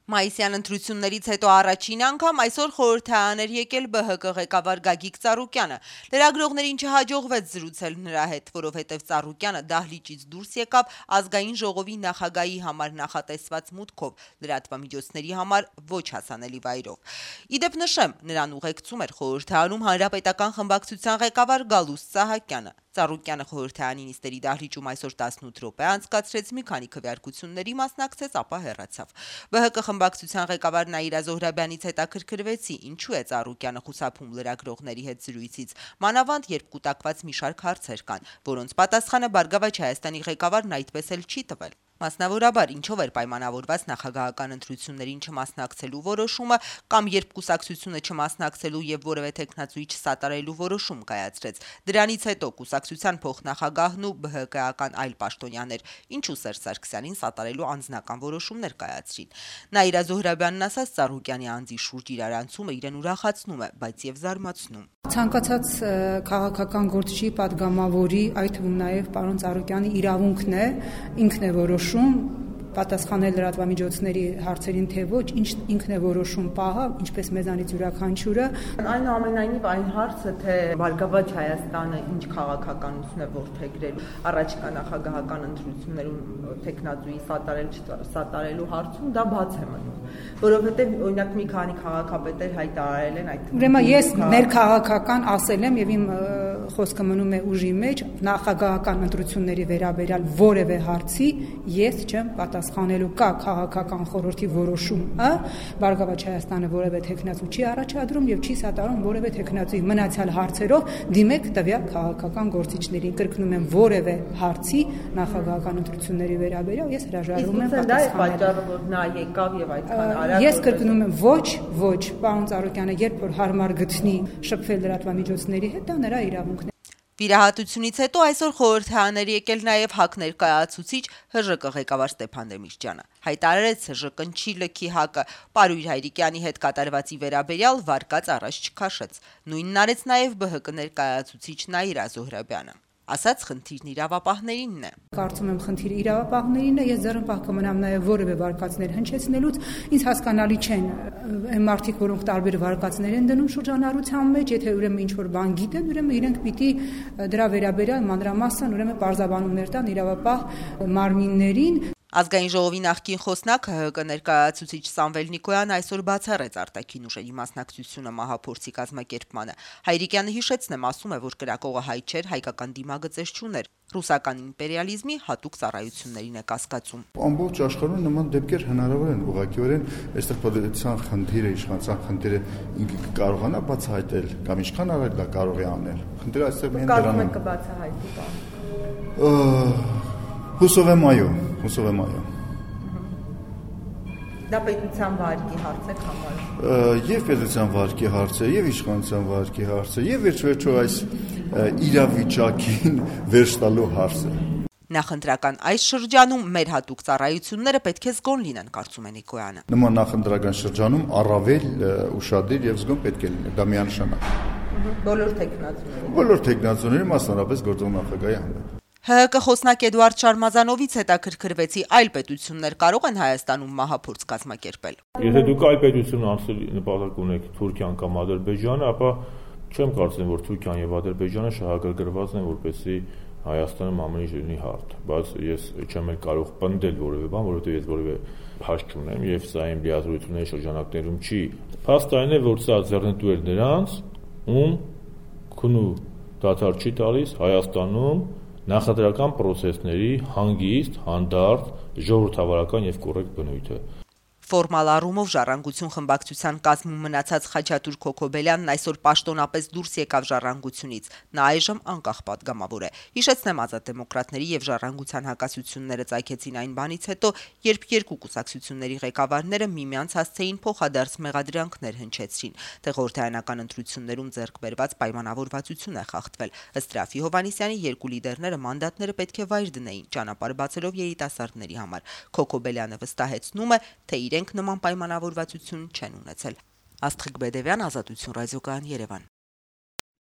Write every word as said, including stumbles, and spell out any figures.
Մայիսյան ընտրություններից հետո առաջին անգամ այսօր խորհրդարան էր եկել Բ Հ Կ ղեկավար Գագիկ Ծառուկյանը։ Լրագրողներին չհաջողվեց զրուցել նրա հետ, որովհետև Ծառուկյանը դահլիճից դուրս եկավ ազգային ժողովի նախագահի համար նախատեսված մուտքով, լրատվամիջոցների համար ոչ հասանելի վայրով։ Իդեպ նշեմ, նրան ուղեկցում էր խորհրդարանում հանրապետական խմբակցության ղեկավար Գալուստ Սահակյանը։ Ծառուկյանը խորհրդարանի նիստերի դահլիճում այսօր տասնութ րոպե անցկացրեց, մի քանի քվեարկությունների մասնակցեց, ապա հեռացավ։ Բ Հ Կ խմբակցության ղեկավար Նաիրա Զոհրաբյանից հետաքրքրվեցի, ինչու է Ծառուկյանը խուսափում լրագրողների հետ զրույցից, մանավանդ երբ կուտակված մի շարք հարցեր կան, որոնց պատասխանը Բարգավաճ Հայաստանի ղեկավարն այդպես էլ չի տվել։ Մասնավորաբար, ինչով էր պայմանավորված նախագահական ընտրություններին չմասնակցելու որոշումը կամ երբ կուսակցությունը չմասնակցելու եւ որևէ տեխնացուի չսատարելու որոշում կայացրեց։ Դրանից հետո կուսակցության փոխնախագահն ու Բ Հ Կ-ական այլ պաշտոնյաներ ինչու Սերժ Սարգսյանին սատարելու անձնական որոշումներ կայացրին։ Նաիրա Զոհրաբյանն ասաց, Ծառուկյանի անձի շուրջ իրարանցումը իրեն ուրախացնում է, բայց եւ զարմացնում։ Ցանկացած քաղաքական գործչի, падգամավորի, այդ թվում նաև պարոն Ծառուկյանի իրավունքն է, ինքն է որոշում պատասխանել լրատվամիջոցների հարցերին, թե ոչ, ինքն է որոշում պահը, ինչպես մեզանից յուրաքանչյուրը։ Այնուամենայնիվ այն հարցը, թե Բարգավաճ Հայաստանը ինչ քաղաքականություն է որդեգրել առաջիկա նախագահական ընտրություններում տեխնացուի սատարել չսատարելու հարցում, դա բաց է մնում, որովհետև օրինակ մի քանի քաղաքապետեր հայտարարել են այդ։ Ուրեմն ես ներքաղաքական ասել եմ եւ իմ խոսքը մնում է ուժի մեջ, նախագահական ընտրությունների վերաբերյալ որևէ հարցի ես չեմ պատասխանելու, կա քաղաքական խորհրդի որոշումը, Բարգավաճ Հայաստանը որևէ տեխնացու չի առաջադրում եւ չի սատարում որևէ տեխնացուի, մնացյալ հարցերով դիմեք տվյալ քաղաքական գործիչներին, կրկնում եմ, որևէ հարցի նախագահական ընտրությունների վերաբերյալ ես հրաժարվում եմ պատասխանել։ Դա է պատճառը, որ նա եկավ եւ այդքան արագ։ Ես կրկնում եմ, ոչ, ոչ, պարոն Ծառուկյանը երբ որ հարմար գտնի շփվել լրատվամիջոցների հետ, դա նրա իրավունքն է։ Վիրահատությունից հետո այսօր խորհրդարան էր եկել նաև ՀԱԿ ներկայացուցիչ Հ Ժ Կ ղեկավար Ստեփան Դեմիրճյանը։ Հայտարարեց Հ Ժ Կ-ն չի լքի ՀԱԿ-ը, Պարույր Հայրիկյանի հետ կատարվածի վերաբերյալ վարկած առաջ չքաշեց։ Նույնն արեց նաև Բ Հ Կ ներկայացուցիչ Նաիրա Զոհրաբյանը։ Ասաց, խնդիրն իրավապահներինն է։ Կարծում եմ, խնդիրը իրավապահներինն է, ես ձեռնպահ կմնամ նաև որևէ վարկածներ հնչեցնելուց, ինձ հասկանալի չեն այն մարդիկ, որոնք տարբեր վարկածներ են դնում շրջանառության մեջ, եթե ուրեմն ինչ որ բան գիտեն, ուրեմն իրենք պիտի դրա վերաբերյալ մանրամասն ուրեմն պարզաբանումներ տան իրավապահ մարմիններին։ Ազգային ժողովի նախկին խոսնակ ՀՀԿ ներկայացուցիչ Սամվել Նիկոյան այսօր բացառեց արտաքին ուժերի մասնակցությունը մահափորձի կազմակերպմանը։ Հայրիկյանը հիշեցնեմ, ասում է, որ կրակողը հայ չէր, հայկական դիմագծեր չուներ, ռուսական իմպերիալիզմի հատուկ ծառայություններին է կասկածում։ Ամբողջ աշխարհում նման դեպքեր հնարավոր են, ուղղակիորեն այստեղ պետության խնդիրը, իշխանության խնդիրը ինքը կարողանա բացահայտել կամ ինչքան արագ դա կարող է անել։ Խնդիրը այստեղ միայն դրանում է։ Կբացահայտի բան։ Հուսով եմ այո, հուսով եմ այո։ Դա պետության վարկի հարց է համարում։ Եվ պետության վարկի հարց է, եւ իշխանության վարկի հարց է, եւ վերջ-վերջո այս իրավիճակին վերջ տալու հարց է։ Նախընտրական այս շրջանում մեր հատուկ ծառայությունները պետք է զգոն լինեն, կարծում է Նիկոյանը։ Նման նախընտրական շրջանում առավել ուշադիր եւ զգոն պետք է լինեն, դա միանշանակ։ Բոլոր տեխնացուների։ Բոլոր տեխնացուների, մասնավորապես գործող նախագահի հանդեպ։ Հ Հ Կ խոսնակ Էդուարդ Շարմազանովից հետաքրքրվեցի, այլ պետություններ կարող են Հայաստանում մահափորձ կազմակերպել։ Եթե դուք այլ պետություն անցել նպատակ ունեք Թուրքիան կամ Ադրբեջանը, ապա չեմ կարծում, որ Թուրքիան եւ Ադրբեջանը շահագրգռված են, որպեսզի Հայաստանում ամեն ինչ լինի հարթ, բայց ես չեմ էլ կարող պնդել որևէ բան, որովհետեւ ես որևէ փաստ չունեմ եւ սա իմ լիազորությունների շրջանակներում չի։ Փաստը այն է, որ սա ձեռնտու է նրանց, ում քունու դադար չի տալիս Հայաստանում նախընտրական պրոցեսների հանգիստ, հանդարտ, ժողովրդավարական եւ կոռեկտ բնույթը։ Ֆորմալ առումով Ժառանգություն խմբակցության կազմում մնացած Խաչատուր Քոքոբելյանն այսօր պաշտոնապես դուրս եկավ Ժառանգությունից։ Նա այժմ անկախ պատգամավոր է։ Հիշեցնեմ, Ազատ դեմոկրատների եւ Ժառանգության հակասությունները ծագեցին այն բանից հետո, երբ երկու կուսակցությունների ղեկավարները միմյանց հասցեին փոխադարձ մեղադրանքներ հնչեցրին, թե խորհրդարանական ընտրություններում ձեռք բերված պայմանավորվածություն է խախտվել։ Ըստ Ռաֆի Հովհաննիսյանի երկու լիդերները մանդատները պետք է վայր դնեին, ճանապարհ բացելով երիտասարդների համար։ Քոքոբելյանը վստահեցնում է, թե իրենք նման պայմանավորվածություն չեն ունեցել։ Աստղիկ Բեդևյան, Ազատություն ռադիոկայան, Երևան։